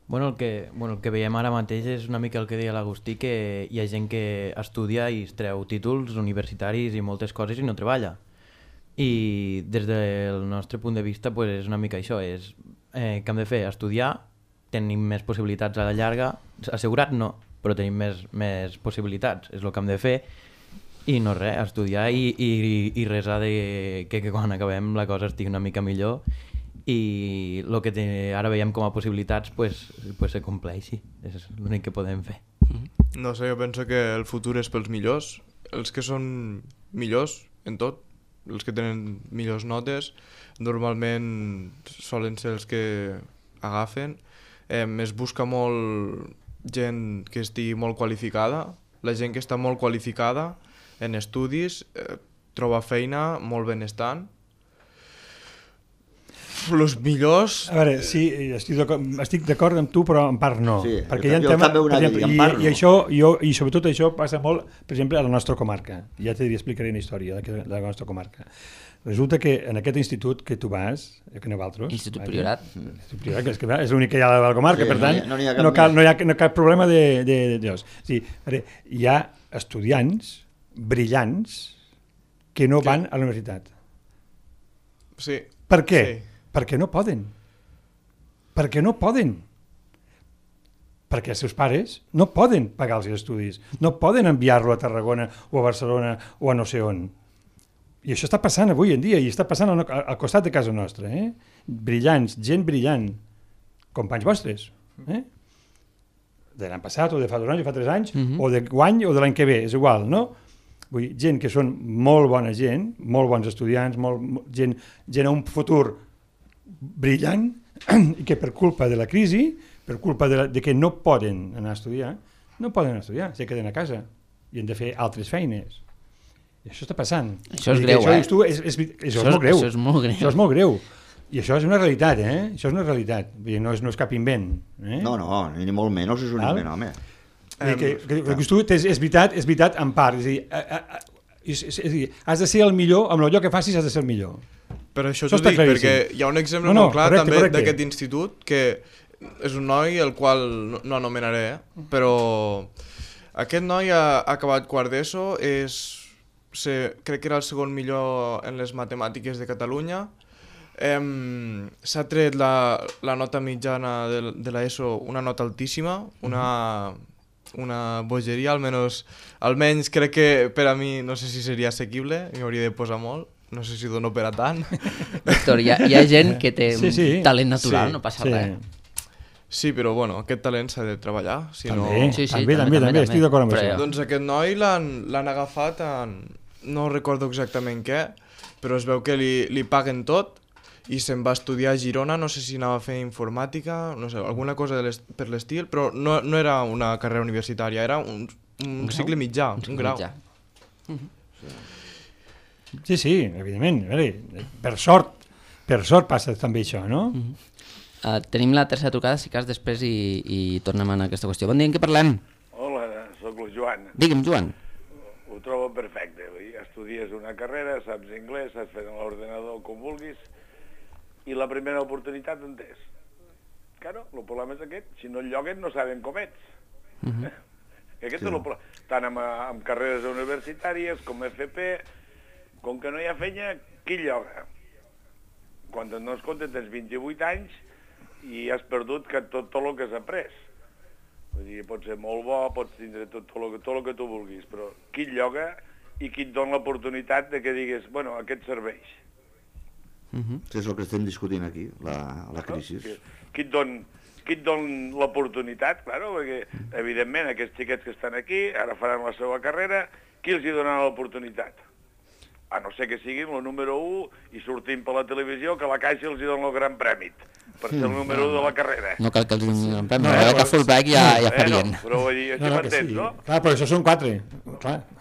Bueno, el que veiem ara mateix és una mica el que deia l'Agustí, que hi ha gent que estudia i es treu títols universitaris i moltes coses i no treballa. I des del nostre punt de vista és una mica això, és què hem de fer? Estudiar, tenim més possibilitats a la llarga, assegurat no, però tenim més possibilitats, és el que hem de fer, i no res, estudiar i resar que quan acabem la cosa estigui una mica millor i el que ara veiem com a possibilitats se compleixi, és l'únic que podem fer. No sé, jo penso que el futur és pels millors, els que són millors en tot, els que tenen millors notes, normalment solen ser els que agafen. Es busca molt gent que estigui molt qualificada. La gent que està molt qualificada en estudis troba feina molt benestant. Els millors... A veure, sí, estic d'acord amb tu, però en part no. Sí, perquè hi ha tema, per exemple, i sobretot això passa molt, per exemple, a la nostra comarca. Ja t'explicaré una història de la nostra comarca. Resulta que en aquest institut que tu vas, que aneu altres... Institut Priorat. Institut Priorat, que és l'únic que hi ha a la comarca, sí, per tant, no hi ha cap problema de... Sí, hi ha estudiants brillants que no van a la universitat. Sí. Per què? Sí. Perquè no poden. Perquè no poden. Perquè els seus pares no poden pagar els estudis, no poden enviar-lo a Tarragona o a Barcelona o a no sé on. I això està passant avui en dia, i està passant al costat de casa nostra. Brillants, gent brillant, companys vostres. de l'any passat, o de fa 2 anys, o fa 3 anys, o de guany, o de l'any que ve, és igual, no? Vull dir, gent que són molt bona gent, molt bons estudiants, gent amb un futur brillant, i que per culpa de la crisi, per culpa de que no poden anar a estudiar, se queden a casa i han de fer altres feines. I això està passant. Això és greu, això és molt greu. Això és molt greu. Això és molt greu. I això és una realitat, Això és una realitat. Vull dir, no és cap invent. No, ni molt menys és un invent, home. És veritat en part. És a dir, has de ser el millor, amb allò que facis has de ser el millor. Per això t'ho dic, perquè hi ha un exemple molt clar també d'aquest institut, que és un noi el qual no anomenaré, però aquest noi ha acabat quart d'ESO, crec que era el segon millor en les matemàtiques de Catalunya, s'ha tret la nota mitjana de l'ESO, una nota altíssima, una bogeria, almenys crec que per a mi no sé si seria assequible, m'hi hauria de posar molt, no sé si dono per a tant. Víctor, hi ha gent que té un talent natural, no passa res. Sí, però bueno, aquest talent s'ha de treballar. També, estic d'acord amb això. Doncs aquest noi l'han agafat no recordo exactament què, però es veu que li paguen tot i se'n va estudiar a Girona, no sé si anava a fer informàtica, no sé, alguna cosa per l'estil, però no era una carrera universitària, era un cicle mitjà, un grau. Sí, evidentment. Per sort passa també això, no? Tenim la tercera trucada, si cas, després i tornem a aquesta qüestió. Bon dia, en què parlem? Hola, sóc el Joan. Digue'm, Joan. Ho trobo perfecte. Estudies una carrera, saps anglès, saps fer en l'ordenador com vulguis, i la primera oportunitat on és? Claro, el problema és aquest. Si no et lloguen, no saben com ets. Aquest és el problema. Tant amb carreres universitàries com FP, com que no hi ha feina, qui lloga? Quan et dones compte tens 28 anys i has perdut tot el que has après. Vull dir, pots ser molt bo, pots tindre tot el que tu vulguis, però qui et lloga i qui et dona l'oportunitat de que digues, bueno, aquest serveix. És el que estem discutint aquí, la crisi. Qui et dona l'oportunitat, claro, perquè evidentment aquests xiquets que estan aquí ara faran la seva carrera, qui els hi donarà l'oportunitat? A no ser que siguin el número 1 i sortim per la televisió que la Caixa els hi dona el gran prèmit per ser el número 1 de la carrera. No cal que els donin el premi, que fullback ja farien. Però vull dir, això m'entens, no? Clar, però això són 4.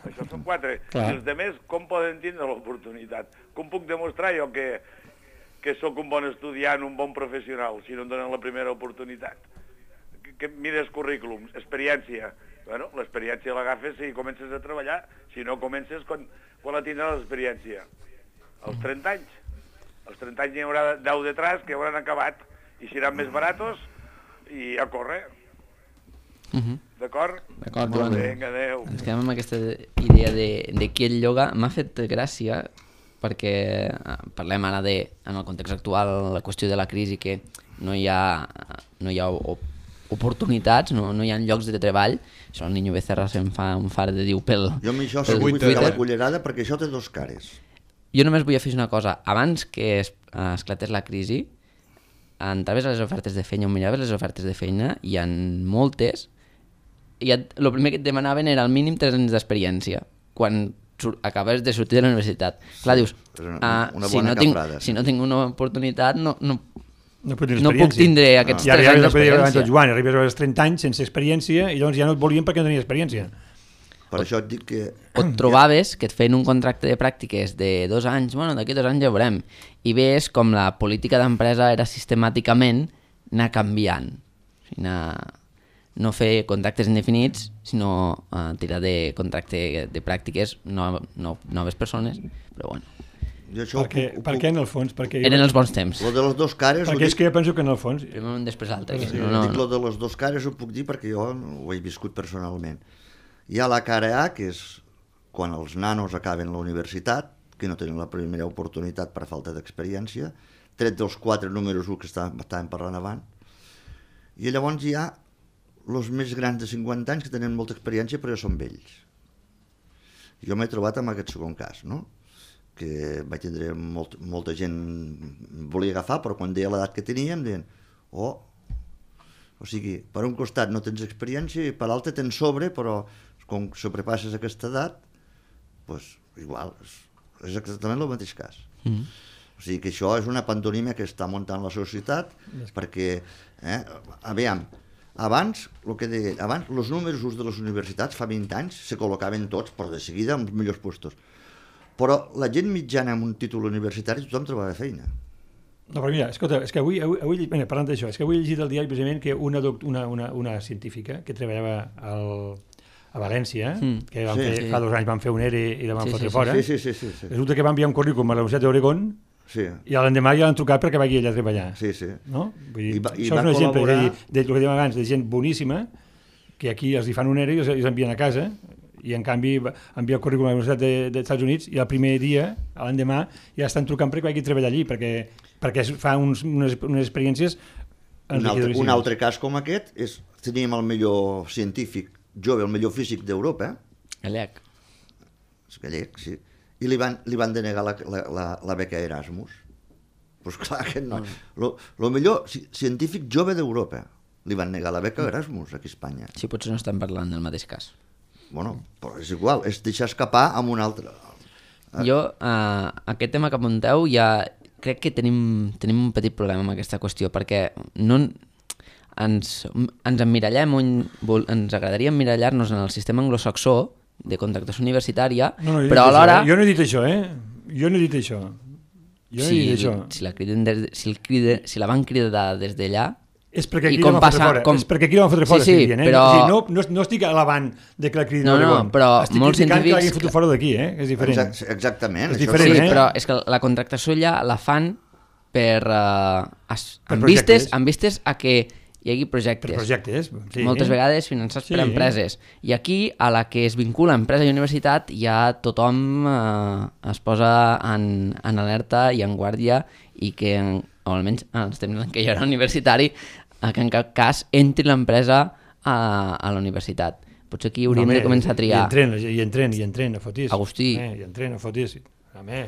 Això són 4. I els altres com poden tindre l'oportunitat? Com puc demostrar jo que sóc un bon estudiant, un bon professional, si no em donen la primera oportunitat? Que mires currículums, experiència. Bueno, l'experiència l'agafes si comences a treballar, si no comences quan la tindràs l'experiència? Als 30 anys. Als 30 anys hi haurà 10 detrás que hauran acabat i seran més baratos i a córrer. D'acord? D'acord, Joan. Vinga, adéu. Ens quedem amb aquesta idea de qui el lloga. M'ha fet gràcia perquè parlem ara en el context actual, la qüestió de la crisi, que no hi ha oportunitats, no hi ha llocs de treball. Això el Niño Becerra se'n fa un far de diu pel Jo amb això vull fer la cullerada perquè això té dos cares. Jo només vull afegir una cosa. Abans que esclatés la crisi, entraves a les ofertes de feina o miraves les ofertes de feina, hi ha moltes, i el primer que et demanaven era al mínim 3 anys d'experiència quan acabes de sortir de la universitat. Clar, dius, si no tinc una oportunitat no puc tindre aquests 3 anys d'experiència. Joan, arribes als 30 anys sense experiència i llavors ja no et volien perquè no tenia experiència. Per això et dic que... O et trobaves que et feien un contracte de pràctiques de 2 anys, bueno, d'aquí 2 anys ja veurem, i ves com la política d'empresa era sistemàticament anar canviant, no fer contractes indefinits, sinó tirar de contracte de pràctiques noves persones, però bueno. Per què en el fons? Eren els bons temps. Lo de les dos cares... Perquè és que jo penso que en el fons... Primer un després l'altre. Dic lo de les dos cares ho puc dir perquè jo ho he viscut personalment. Hi ha la cara A, que és quan els nanos acaben la universitat, que no tenen la primera oportunitat per falta d'experiència, tret dels 4 números 1 que estàvem parlant abans, i llavors hi ha els més grans de 50 anys que tenen molta experiència però ja són vells. Jo m'he trobat amb aquest segon cas, no? Que vaig tindre molta gent volia agafar, però quan deia l'edat que teníem, deien, O sigui, per un costat no tens experiència i per l'altre tens sobre, però com sobrepasses aquesta edat, doncs igual, és exactament el mateix cas. O sigui que això és una pantomima que està muntant la societat, perquè, aviam, abans, el que deia, abans, els números de les universitats fa 20 anys se col·locaven tots, però de seguida, en els millors puestos. Però la gent mitjana amb un títol universitari tothom trobava feina. No, però mira, escolta, és que avui parlant d'això, és que avui he llegit al diari precisament que una científica que treballava a València, que fa 2 anys van fer un ERE i la van fotre fora, resulta que va enviar un currículum a la Universitat d'Oregon i l'endemà ja l'han trucat perquè vagi allà a treballar. No? Vull dir, això és un exemple del que dèiem abans, de gent boníssima, que aquí els hi fan un ERE i els envien a casa, i en canvi envia el currículum a la Universitat dels Estats Units i el primer dia, l'endemà, ja estan trucant perquè vagi a treballar allí, perquè fa unes experiències enriquidores. Un altre cas com aquest és, teníem el millor científic jove, el millor físic d'Europa. Gallec. És gallec, sí. I li van denegar la beca Erasmus. Doncs clar que no. El millor científic jove d'Europa li van negar la beca Erasmus aquí a Espanya. Sí, potser no estem parlant del mateix cas. Bueno, però és igual, és deixar escapar amb un altre. Jo, aquest tema que apunteu, ja crec que tenim un petit problema amb aquesta qüestió, perquè no ens emmirallem, ens agradaria emmirallar-nos en el sistema anglosaxó de contractació universitària, però alhora... Jo no he dit això, Jo no he dit això. Si la van cridar des d'allà... És perquè aquí la van fotre fora. Sí, però... No estic alabant de que la cridin a L'Oregon. Estic criticant que l'hagin fotut fora d'aquí, és diferent. Exactament. És diferent, sí, però és que la contractació allà la fan amb vistes a que hi hagi projectes. Per projectes, sí. Moltes vegades finançats per empreses. I aquí, a la que es vincula empresa i universitat, ja tothom es posa en alerta i en guàrdia i que, o almenys en els temps en què jo era universitari, que en cap cas entri l'empresa a la universitat. Potser aquí hauríem de començar a triar. I entren, a fotis. Agustí. I entren, a fotis.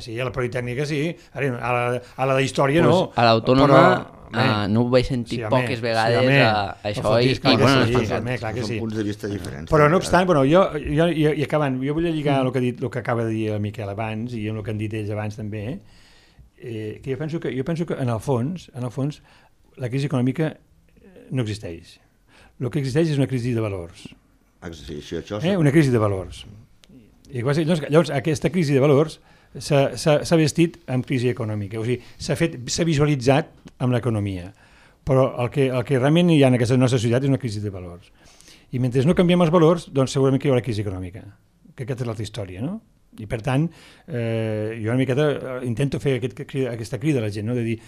Sí, a la Politècnica sí, a la d'història no. A l'Autònoma no ho vaig sentir poques vegades això i bueno, són punts de vista diferents. Però no obstant, i acabant, jo vull lligar el que acaba de dir el Miquel abans i el que han dit ells abans també, que jo penso que en el fons la crisi econòmica no existeix. El que existeix és una crisi de valors. Una crisi de valors. I llavors aquesta crisi de valors s'ha vestit amb crisi econòmica, o sigui, s'ha visualitzat amb l'economia, però el que realment hi ha en aquesta nostra societat és una crisi de valors. I mentre no canviem els valors, doncs segurament que hi haurà crisi econòmica, que aquesta és l'altra història, no? I per tant, jo una miqueta intento fer aquesta crida a la gent, no? De dir,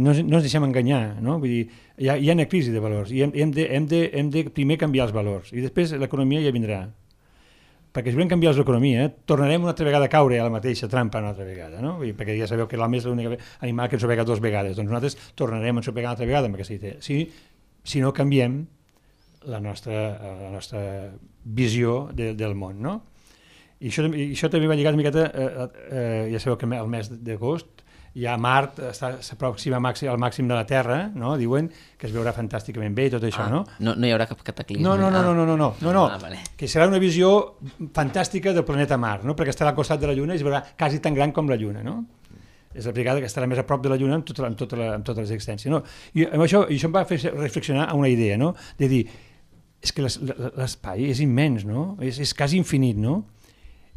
no ens deixem enganyar, no? Vull dir, hi ha una crisi de valors i hem de primer canviar els valors i després l'economia ja vindrà. Perquè si volem canviar l'economia, tornarem una altra vegada a caure a la mateixa trampa una altra vegada, no? Perquè ja sabeu que l'home és l'únic animal que ensopega 2 vegades, doncs nosaltres tornarem a ensopegar una altra vegada amb aquesta idea. Si no canviem la nostra visió del món, no? I això també va lligat una miqueta, ja sabeu que el mes d'agost ja Mart s'aproxima al màxim de la Terra, no? Diuen que es veurà fantàsticament bé i tot això, no? No hi haurà cap cataclisme. No, que serà una visió fantàstica del planeta Mart, no? Perquè estarà al costat de la Lluna i es veurà quasi tan gran com la Lluna, no? És la vegada que estarà més a prop de la Lluna amb tota l'existència, no? I això em va fer reflexionar a una idea, no? De dir, és que l'espai és immens, no? És quasi infinit, no?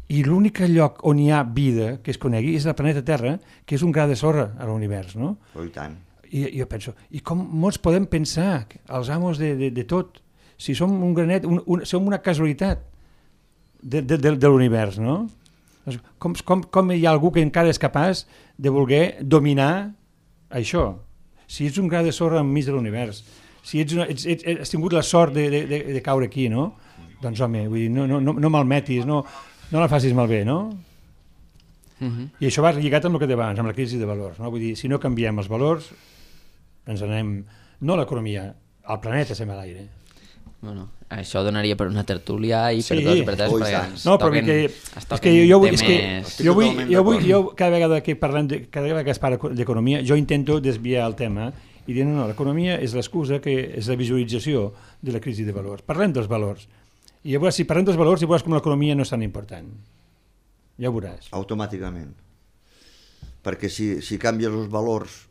I l'únic lloc on hi ha vida que es conegui és el planeta Terra, que és un gra de sorra a l'univers, no? Oh, i tant. I jo penso, i com molts podem pensar, els amos de tot, si som un granet, som una casualitat de l'univers, no? Com hi ha algú que encara és capaç de voler dominar això? Si ets un gra de sorra enmig de l'univers, si has tingut la sort de caure aquí, no? Doncs home, vull dir, no malmetis, no la facis malbé, no? I això va lligat amb el que deia abans, amb la crisi de valors, no? Vull dir, si no canviem els valors, ens anem, no a l'economia, al planeta se'n va a l'aire. Bueno, això donaria per una tertúlia i per dos i per tres, perquè ens toquen jo cada vegada que es parla d'economia, jo intento desviar el tema i diuen no, l'economia és l'excusa, que és la visualització de la crisi de valors. Parlem dels valors. I llavors, si parlem dels valors, veuràs com l'economia no és tan important. Ja ho veuràs. Automàticament. Perquè si canvies els valors,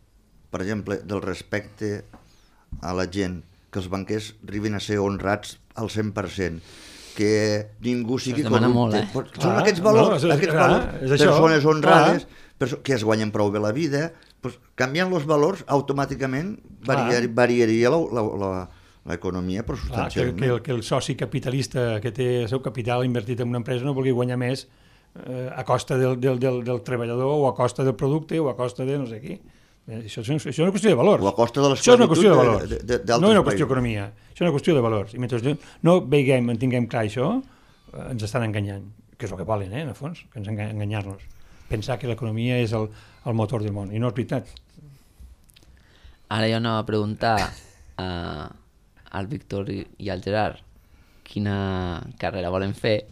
per exemple, del respecte a la gent, que els banquers arribin a ser honrats al 100%, que ningú sigui corrupte. Molt, eh? Són aquests valors, persones honrades, que es guanyen prou bé la vida, doncs, canviant els valors, automàticament variaria l'economia, però substancialment. Que el soci capitalista que té el seu capital invertit en una empresa no vulgui guanyar més a costa del treballador o a costa del producte o a costa de no sé qui. Això és una qüestió de valors. O a costa de això és una qüestió de valors. No és una qüestió països. d'economia. Això és una qüestió de valors. I mentre no tinguem clar això, ens estan enganyant. Que és el que volen, en el fons, que ens enganyar-nos. Pensar que l'economia és el motor del món. I no és veritat. Ara jo anava a preguntar al Víctor i al Gerard quina carrera volen fer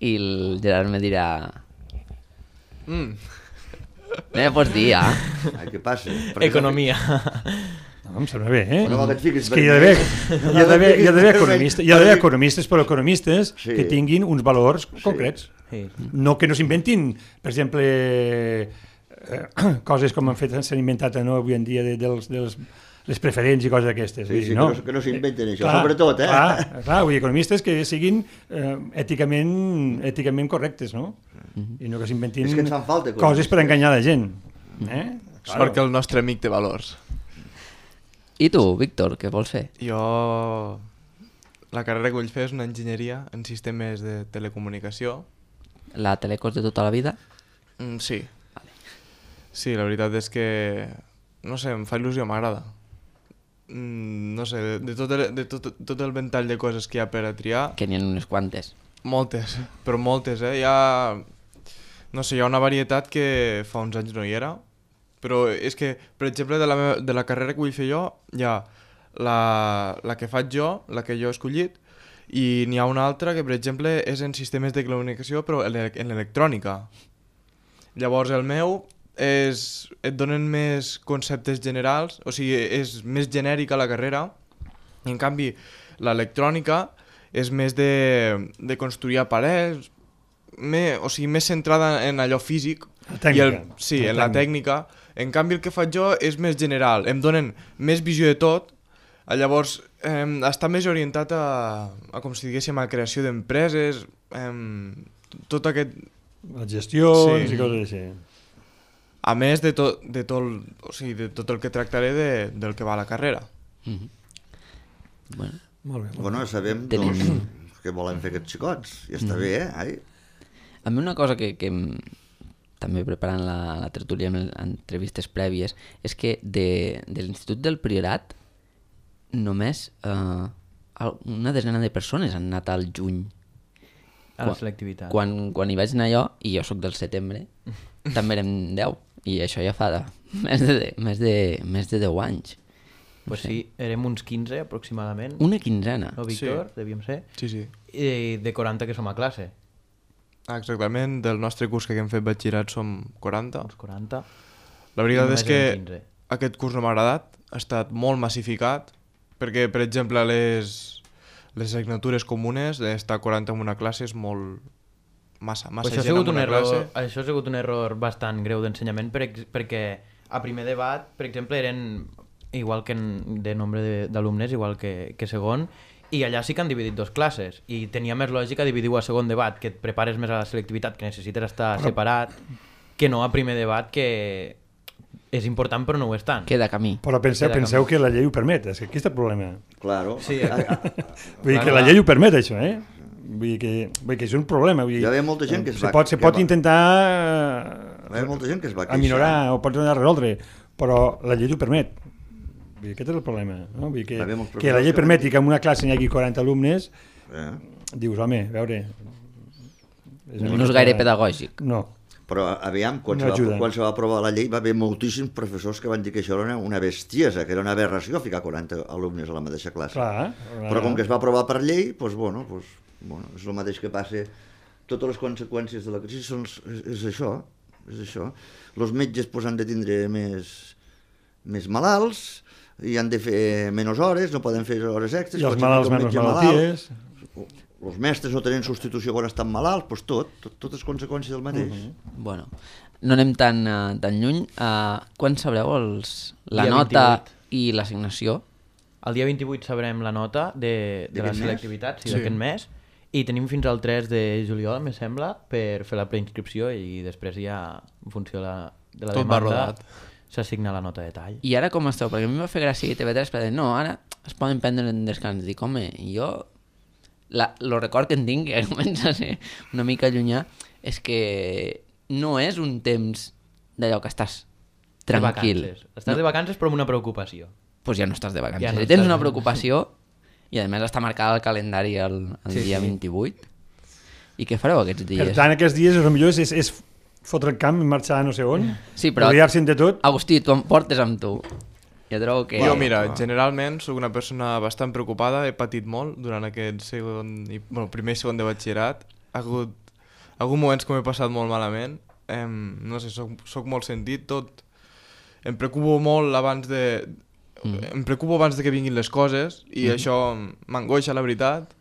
i el Gerard me dirà no me pots dir, Què passa? Economia. No, em sembla bé, No, és que hi ha d'haver economistes, però economistes que tinguin uns valors concrets. No que no s'inventin, per exemple, coses com s'han inventat avui en dia les preferents i coses d'aquestes. Que no s'inventen això, sobretot, Clar, vull dir, economistes que siguin èticament correctes, no? I no que s'inventin coses per enganyar la gent. És perquè el nostre amic té valors. I tu, Víctor, què vols fer? Jo... La carrera que vull fer és una enginyeria en sistemes de telecomunicació. La Telecos de tota la vida? Sí. Sí, la veritat és que... No sé, em fa il·lusió, m'agrada. No sé, de tot el ventall de coses que hi ha per a triar... Que n'hi ha unes quantes. Moltes, però moltes, Hi ha... No sé, hi ha una varietat que fa uns anys no hi era, però és que, per exemple, de la carrera que vull fer jo, hi ha la que faig jo, la que jo he escollit, i n'hi ha una altra que, per exemple, és en sistemes de comunicació, però en electrònica. Llavors, el meu et donen més conceptes generals, o sigui, és més genèrica la carrera, i en canvi, l'electrònica és més de construir aparells, o sigui, més centrada en allò físic. La tècnica. En la tècnica. En canvi, el que faig jo és més general. Em donen més visió de tot. Llavors, està més orientat a com si diguéssim, a creació d'empreses, tot aquest... Les gestions i coses així. A més de tot el que tractaré del que va a la carrera. Bueno, sabem doncs, què volen fer aquests xicots. I està bé, A mi una cosa que també preparant la tertúlia amb entrevistes prèvies és que de l'Institut del Priorat només una desena de persones han anat al juny. A la selectivitat. Quan hi vaig anar jo, i jo sóc del setembre, també érem 10. I això ja fa més de 10 anys. Pues sí, érem uns 15 aproximadament. Una quinzena. No, Víctor? Devíem ser. Sí. I de 40 que som a classe. Exactament, del nostre curs que hem fet batxillerat som 40. Uns 40. La veritat és que aquest curs no m'ha agradat, ha estat molt massificat, perquè, per exemple, les assignatures comunes, estar 40 en una classe és molt... massa gent en una classe. Això ha sigut un error bastant greu d'ensenyament, perquè a primer debat, per exemple, eren igual que de nombre d'alumnes, igual que segon, i allà sí que han dividit dos classes, i tenia més lògica dividir-ho a segon debat, que et prepares més a la selectivitat, que necessites estar separat, que no a primer debat, que és important però no ho és tant. Queda camí. Però penseu que la llei ho permet, és que aquí està el problema. Claro. Sí, vull dir que la llei ho permet, això, Vull dir que és un problema. Hi havia molta gent que es va... Se pot intentar hi havia molta gent que es va queixar. aminorar o pot intentar resoldre, però la llei ho permet. Vull dir, aquest és el problema. No? Vull dir que la llei permeti que en una classe n'hi hagi 40 alumnes, dius, home, a veure... No és gaire pedagògic. No. Però aviam, quan se va aprovar la llei va haver moltíssims professors que van dir que això era una bestiesa, que era una aberració ficar 40 alumnes a la mateixa classe. Però com que es va aprovar per llei, doncs, és el mateix que passa. Totes les conseqüències de la crisi és això. Els metges han de tindre més malalts, i han de fer menys hores, no poden fer hores extres. I els malalts menys malalties. Els mestres no tenen substitució quan estan malalts, doncs totes conseqüències del mateix. Bueno, no anem tan lluny. Quan sabreu la Dia nota 28. i l'assignació? El dia 28 sabrem la nota de la selectivitat, d'aquest mes, i tenim fins al 3 de juliol, me sembla, per fer la preinscripció i després ja, en funció de la Tot va demanda, rodat. s'assigna la nota de tall. I ara com esteu? Perquè a mi em va fer gràcia que TV3 va dir, no, ara es poden prendre en descans. Dic, home, jo... El record que en tinc, que comença a ser una mica llunyà, és que no és un temps d'allò que estàs tranquil. Estàs de vacances però amb una preocupació. Doncs ja no estàs de vacances. Ja no Si tens estàs. una preocupació, i a més està marcada al calendari el dia 28, i què fareu aquests dies? Per tant, aquests dies el millor és fotre el camp i marxar a no sé on, Sí, però rodear-se'n de tot. Agustí, tu em portes amb tu. Jo trobo que... Jo, mira, generalment sóc una persona bastant preocupada, he patit molt durant aquest primer i segon de batxillerat. Ha hagut moments que m'he passat molt malament, no sé, soc molt sentit, tot. Em preocupo molt abans de... Em preocupo abans de que vinguin les coses i això m'angoixa, la veritat.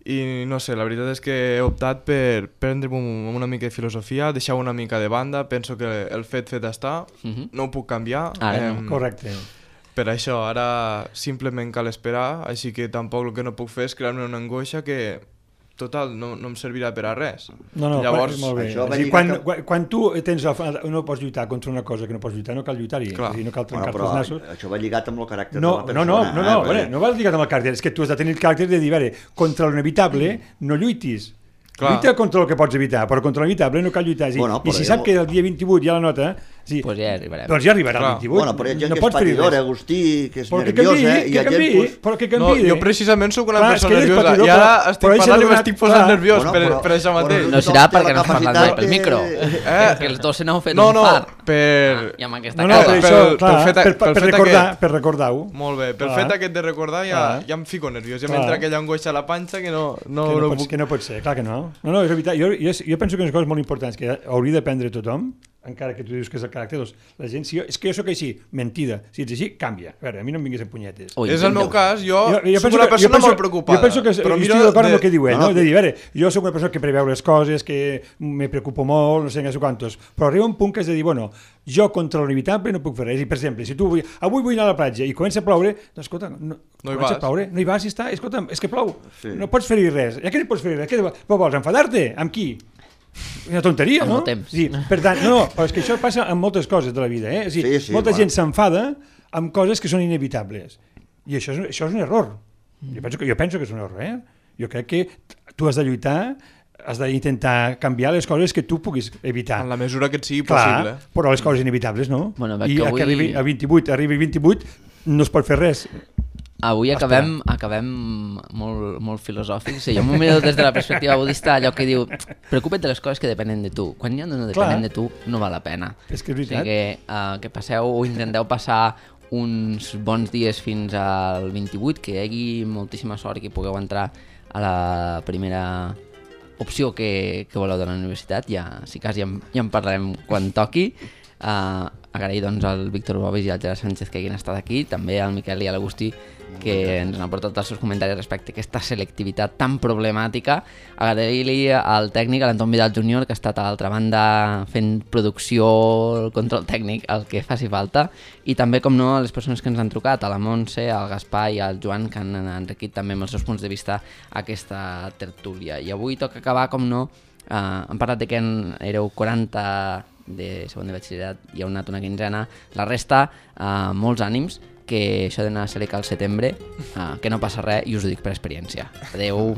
I no sé, la veritat és que he optat per prendre'm una mica de filosofia, deixar una mica de banda, penso que el fet està, no ho puc canviar. Ara no. Correcte. Per això, ara simplement cal esperar, així que tampoc el que no puc fer és crear-me una angoixa que, total, no em servirà per a res. No, Llavors, molt bé. això va És a dir, lligat quan tu no pots lluitar contra una cosa que no pots lluitar, no cal lluitar-hi. Clar. És a dir, no cal trencar-te però els nassos. això va lligat amb el caràcter No, de la persona. no va lligat amb el caràcter, és que tu has de tenir el caràcter de dir, veure, contra l'inevitable no lluitis. Clar. Lluita contra el que pots evitar, però contra l'inevitable no cal lluitar. Bueno, I si sap que el dia 28 hi ha la nota, sí, Pues ja arribarem. doncs ja arribarà Clar. el 28. Bueno, però hi ha gent no que és pots fer-hi patidora, res. Agustí, que és Però que nerviosa, canviï, i hi ha gent... canviï, però que no, canviï. jo precisament sóc una Clar, és persona que ell és nerviosa patidor, i ara però estic ell s'ha parlant i donat- m'estic posant clar. nerviós Bueno, per això mateix. No serà Tothom té perquè la no has parlat capacitat mai pel micro. Que els dos se n'heu fet No, un no, far. per... I amb aquesta No, cara. per això, pel clar, fet per recordar-ho. Molt bé, pel Clar. fet aquest de recordar ja em fico nerviós, ja Clar. m'entra aquella angoixa a la panxa que no puc... Que no pot ser, clar que no. No, és veritat. Jo penso que unes coses molt importants que hauria d'aprendre tothom, encara que tu dius que és el caràcter, doncs la gent, és que jo sóc així, mentida. Si ets així, canvia. A veure, a mi no em vinguis amb punyetes. Ui, És el meu cas, jo Jo soc una persona molt preocupada. Jo penso que però estic d'acord amb el que diu ell, no, no? De dir, a veure, jo soc una persona que preveu les coses, que me preocupo molt, no sé quantos, però arriba un punt que és de dir, bueno, jo contra l'inevitable no puc fer res. I, per exemple, si tu avui vull anar a la platja i comença a ploure, doncs, escolta, comença a ploure, no hi vas i està, escolta, és que plou, no pots fer-hi res. Ja que no pots fer-hi res, què vols, enfadar-te? Amb qui? Una tonteria, Amb no? el temps. Sí, per tant, però és que això passa amb moltes coses de la vida, eh? És a dir, Sí, molta clar. gent s'enfada amb coses que són inevitables. I això és un error. Jo penso que és un error, eh? Jo crec que tu has de lluitar, has d'intentar canviar les coses que tu puguis evitar. En la mesura que et sigui Clar, possible. però les coses inevitables no. Bueno, veig I que que avui- arribi a 28, arribi 28, no es pot fer res. Avui acabem molt filosòfics. Sí, jo m'ho miro des de la perspectiva budista, allò que diu, preocupa't de les coses que depenen de tu. Quan ja no depenen de tu, no val la pena. És que és O veritat. sigui que passeu o intenteu passar uns bons dies fins al 28, que hi hagi moltíssima sort i que pugueu entrar a la primera opció que voleu de la universitat. Ja, si cas, ja en parlarem quan toqui. Agrair doncs al Víctor Bobis i al Gerard Sánchez que hagin estat aquí, també al Miquel i a l'Agustí que ens han aportat els seus comentaris respecte a aquesta selectivitat tan problemàtica. Agrair-li al tècnic, a l'Anton Vidal Júnior, que ha estat a l'altra banda fent producció, el control tècnic, el que faci falta, i també, com no, a les persones que ens han trucat, a la Montse, al Gaspar i al Joan, que han enriquit també amb els seus punts de vista aquesta tertúlia. I avui toca acabar, com no, hem parlat de que éreu 40 de segon de batxillerat i heu anat una quinzena, la resta, molts ànims, que això d'anar a Seleca al setembre, que no passa res i us ho dic per experiència. Adeu.